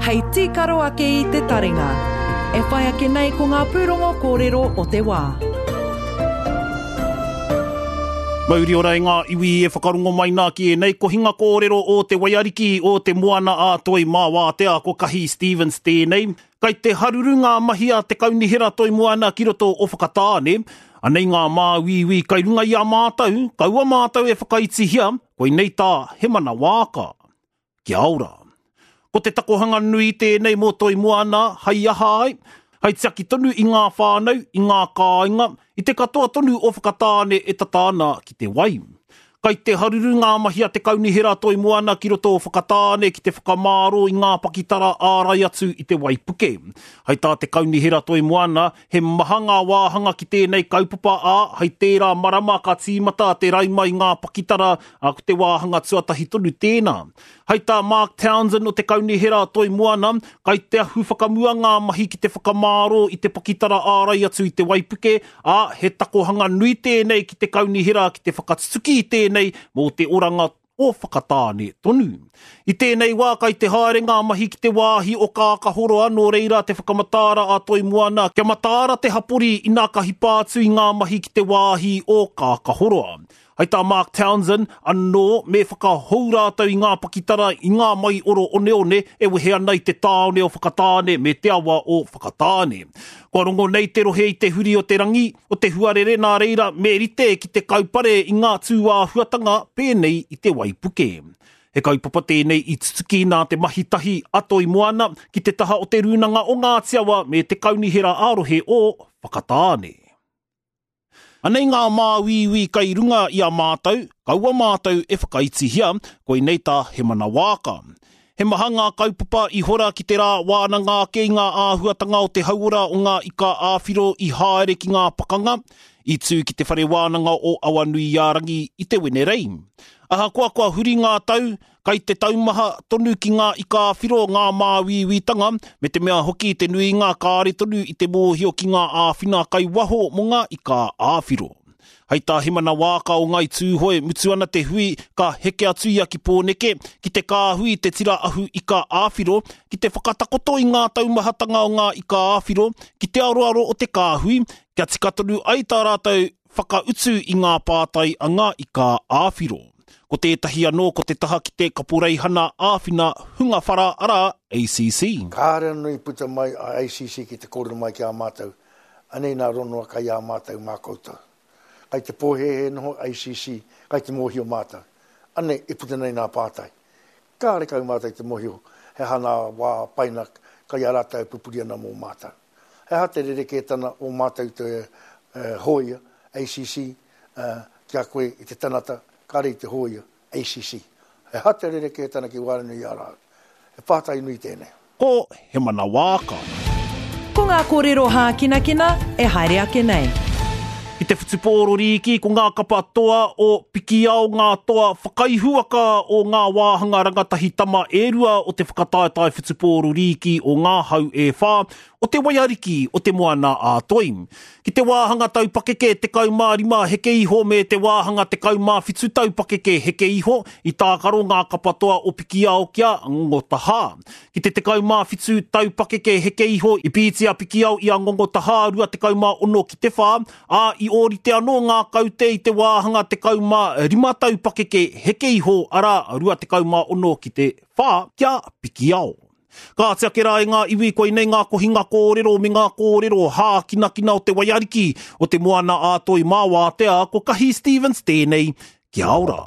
Hei tīkaro ake i te taringa. E whai ake nei ko ngā pūrongo kōrero o te wā. Mauri ora e ngā iwi e whakarongo mai nā ki ēnei kohinga kōrero o te waiariki o te moana a Toi mā Wātea ko Kahi Stevens tēnei. Kai te haruru ngā mahi a te Kaunihera Toi Moana ki roto o Whakatāne. Anei ngā māuiui kai runga i a mātou, kaua mātou e whakaitihia, koinei tā Hemana Waaka. Kia ora. Ko te takohanga nui tēnei mō Toi Moana, hai aha ai? Hai tiaki tonu i ngā whānau, i ngā kāinga, i te katoa tonu o Whakatāne e tata ana ki te wai. Kai te haruru ngā mahi a te Kaunihera Toi Moana ki roto o Whakatāne ki te whakamāro i ngā pakitara ārai atu i te waipuke. Hai tā te Kaunihera Toi Moana, he maha ngā wāhanga ki tēnei kaupapa ā, hai tērā marama ka tīmata te raima i ngā pakitara, ā, ko te wāhanga tuatahi tonu tēnā. Hai tā Mark Townsend o te Kaunihera Toi Moana, kai te ahu whakamua ngā mahi ki te whakamārō i te pakitara ārai atu i te waipuke, ā, he takohanga nui tēnei ki te kaunihera ki te whakatutuki i tēnei mō te oranga o Whakatāne tonu. I tēnei wā kai te haere ngā mahi ki te wāhi o Kākahoroa nō reira te whakamataara a Toi Moana kia mataara te hapori inā ka hipa atu i ngā mahi ki te wāhi o Kākahoroa. Hai tā Mark Townsend, anō, me whakahou rātou i ngā pakitara i ngā maioro oneone e wehe ana i te tāone o Whakatāne me te awa o Whakatāne. Kua rongo nei te rohe i te huri o te rangi, o te huarere nā reira me rite ki te kaupare i ngā tūāhuatanga pēnei i te waipuke. He kaupapa tēnei i tutuki nā te mahi tahi a Toi Moana ki te taha o Te Rūnanga o Ngāti Awa me te Kaunihera ā-Rohe o Whakatāne. Anei ngā māuiui kai runga i a mātou, kaua mātou e whakaitihia, koinei tā Hemana Waaka. He maha ngā kaupapa i hora ki te rā wānanga ake i ngā āhuatanga o te hauora o ngā ika ā-whiro i haere ki ngā pakanga, i tū ki te Whare Wānanga o Awanuiārangi i te Wenerei. Ahakoa kua huri ngā tau, Kai te taumaha tonu ki ngā ika-a-whiro ngā māuiuitanga, me te mea hoki te nuinga kāre tonu i te mōhio ki ngā āwhina kai waho mō ngā ika-a-whiro. Hai tā Himana Waaka o Ngai Tūhoe, mutu ana te hui, ka heke atu ia ki Pōneke, ki te kāhui te tira ahu ika-a-whiro, ki te whakatakoto i ngā taumahatanga o ngā ika-a-whiro, ki te aroaro o te kāhui, kia tika tonu ai tā rātou whakautu i ngā pātai a ngā ika-a-whiro. Ko tētahi anō ko te taha ki te Kaporeihana Āwhina Hunga Whara arā, ACC. Kāre anō i puta mai a ACC ki te kōrero mai ki a mātou, anei nā ronoa kai a mātou mā koutou. Kai te pōhēhē noho ACC, kai te mōhio mātou. Anei e puta nei nā pātai. Kāre kau mātou i te mōhio he aha nā wā paina kai a rātou e pupuri ana mō mātou. He aha te rerekētana o mātou te hōia, ACC, ki a koe i te tanata kāre i te hōia, ACC? He aha te rerekētana ki waenganui i a rāua? He pātai nui tēnei. Ko He Mana Wāka. Ko ngā kōrero hākinakina e haere ake nei. Ki te whutupōro rīki ko ngā kapa toa o Pikiao ngā toa whakaihuwaka o ngā wāhanga rangatahi tama e rua o te whakataetae whutupōro rīki o ngā hau e whā o te waiariki o te Moana a Toi. Ki te wāhanga tau pakeke 15 heke iho me te wāhanga 17 tau pakeke heke iho i tākaro ngā kapa toa o Pikiao ki a Ngongotahā. Ki te 17 tau pakeke heke iho i pīti a Pikiao i a Ngongotahā 26 ki te 4, ā, i ōrite anō ngā kaute i te wāhanga 15 tau pakeke heke iho arā 26 ki te 4 ki a Pikiao. Kāti ake rā e ngā iwi koinei ngā kohinga kōrero me ngā kōrero hākinakina o te waiariki o te Moana-a-Toi mā Wātea ko Kahi Stevens tēnei. Kia ora.